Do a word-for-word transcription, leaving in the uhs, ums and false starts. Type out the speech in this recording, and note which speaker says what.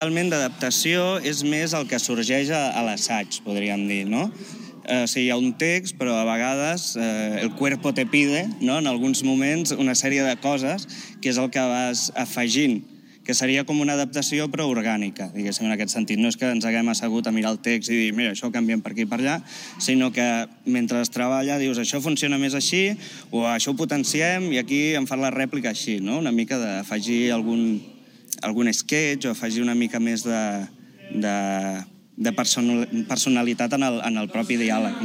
Speaker 1: Realment d'adaptació és més el que sorgeix a, a l'assaig, podríem dir, no? Eh, o sigui, hi ha un text, però a vegades eh, el cuerpo te pide, no? En alguns moments, una sèrie de coses que és el que vas afegint, que seria com una adaptació però orgànica, diguéssim, en aquest sentit. No és que ens haguem assegut a mirar el text i dir, mira, això ho canviem per aquí i per allà, sinó que mentre es treballa dius, això funciona més així, o això ho potenciem i aquí em fan la rèplica així, no? Una mica d'afegir algun, algun sketch o afegir una mica més de, de, de personalitat en el, en el propi diàleg.